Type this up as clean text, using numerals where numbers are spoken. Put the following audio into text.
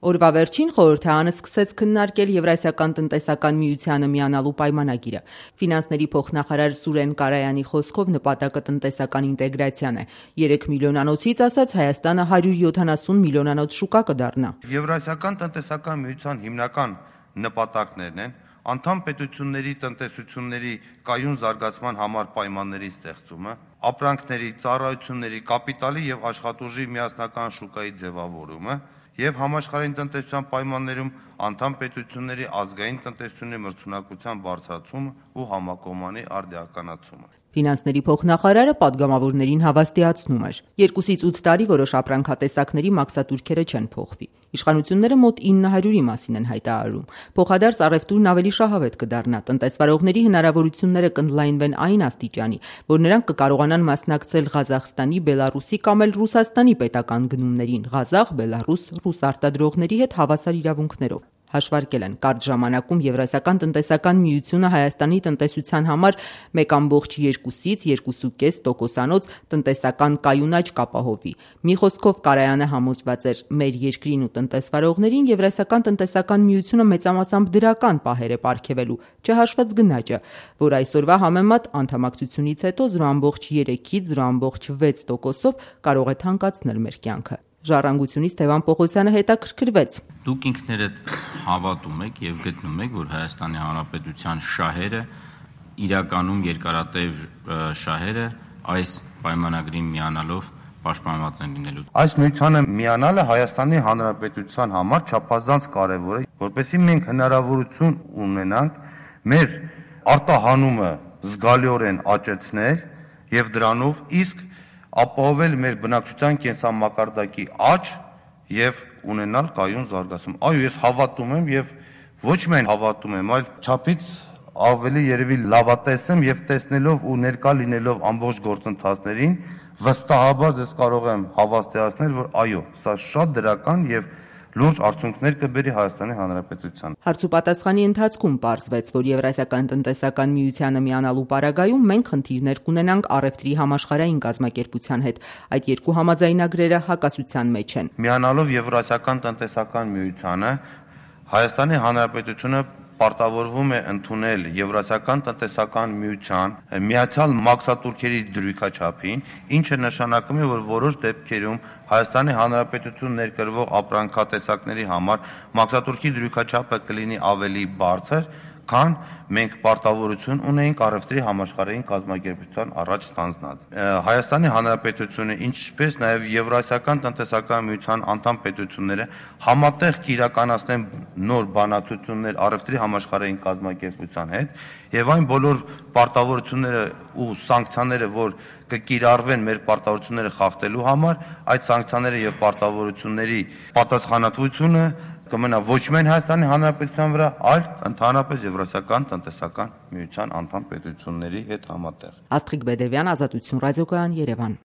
Օրվա վերջին խորհրդարանը սկսեց քննարկել Եվրասիական տնտեսական միությանը միանալու պայմանագիրը։ Ֆինանսների փոխնախարար Սուրեն Կարայանի խոսքով նպատակը տնտեսական ինտեգրացիան է։ 3 միլիոնանոցից ասած Հայաստանը 170 միլիոնանոց շուկա կդառնա։ Եվրասիական տնտեսական միության հիմնական նպատակներն են անդամ պետությունների տնտեսությունների կայուն զարգացման համար պայմանների ստեղծումը, ապրանքների, ծառայությունների, կապիտալի եւ աշխատուժի միասնական շուկայի ձևավորումը եւ համաշխարհային տնտեսության պայմաններում անդամ պետությունների ազգային տնտեսությունների մրցունակության բարձրացումը ու համակողմանի արդիականացումը։ Ֆինանսների փոխնախարարը падգամավորներին հավաստիացնում էր. 2-ից 8 տարի որոշ ապրանքատեսակների մաքսատուրքերը չեն փոխվի։ Իշխանությունները մոտ 900-ի մասին են հայտարարում։ Փոխադարձ առևտուրն ավելի շահավետ կդառնա, տնտեսվարողների հնարավորությունները կընդլայնվեն այն աստիճանի, որ նրանք կկարողանան մասնակցել Ղազախստանի, Բելարուսի կամ էլ Ռուսաստանի պետական գնումներին, Ղազախ, Բելարուս, ռուս արտադրողների հետ հավասար իրավունքներով։ Հաշվարկել են կարճ ժամանակում Եվրասիական տնտեսական միությունը Հայաստանի տնտեսության համար 1,2-ից 2,5% տնտեսական կայուն աճ կապահովի։ Մի խոսքով Կարայանը համոզված էր, մեր երկրին ու տնտեսվարողներին Եվրասիական տնտեսական միությունը մեծամասամբ դրական պահեր է պարգևելու, չհաշված գնաճը, որ այսօրվա համեմատ անդամակցությունից հետո 0,3-ից 0,6%-ով կարող է թանկացնել մեր կյանքը։ Ժառանգությունից Թևան Պողոսյանը հետաքրքրվեց. Դուք ինքներդ հավատում եք եւ գտնում եք, որ Հայաստանի Հանրապետության շահերը իրականում երկարատև շահերը այս պայմանագրին միանալով պաշտպանված են լինելու։ Այս միությանը միանալը Հայաստանի Հանրապետության համար չափազանց կարևոր է, որպեսզի մենք հնարավորություն ունենանք մեր արտահանումը զգալիորեն աճեցնել եւ դրանով իսկ ապահովել մեր բնակչության կենսամակարդակի աճ եւ ունենալ կայուն զարգացում։ Այո, ես հավատում եմ եւ ոչ միայն հավատում եմ, այլ չափից ավելի երևի լավատես եմ եւ տեսնելով ու ներկա լինելով ամբողջ գործընթացներին վստահաբար ձեզ կարող եմ հավաստիացնել, որ այո, սա շատ դրական եւ լուրջ արդյունքներ կբերի Հայաստանի Հանրապետությանը։ Հարցուպատասխանի ընթացքում պարզվեց, որ Եվրասիական տնտեսական միությանը միանալու պարագայում մենք խնդիրներ կունենանք առևտրի համաշխարհային կազմակերպության հետ։ Այդ երկու համաձայնագրերը հակասության մեջ են։ Միանալով Եվրասիական տնտեսական միությանը Հայաստանի Հանրապետությունը պարտավորվում է ընդունել Եվրասիական տնտեսական միության միացյալ մաքսատուրքերի դրույքաչափին, ինչը նշանակում է, որ որոշ դեպքերում Հայաստանի Հանրապետություն ներկրվող ապրանքատեսակների համար մաքսատուրքի դրույքաչափը կլինի ավելի բարձր, քան մենք պարտավորություն ունեինք առևտրի համաշխարհային կազմակերպության առաջ ստանձնած։ Հայաստանի Հանրապետությունը, ինչպես նաև Եվրասիական տնտեսական միության անդամ պետությունները համատեղ կիրականացնեն նոր բանակցություններ առևտրի համաշխարհային կազմակերպության հետ եւ այն բոլոր պարտավորությունները ու սանկցիաները, որ կկիրառվեն մեր պարտավորությունները խախտելու համար, այդ սանկցիաները եւ պարտավորությունների պատասխանատվությունը կմնա ոչ միայն Հայաստանի Հանրապետության վրա, այլ ընդհանրապես Եվրասիական տնտեսական միության անդամ պետությունների հետ համատեղ։ Աստղիկ Բեդևյան, Ազատություն ռադիոկայան, Երևան։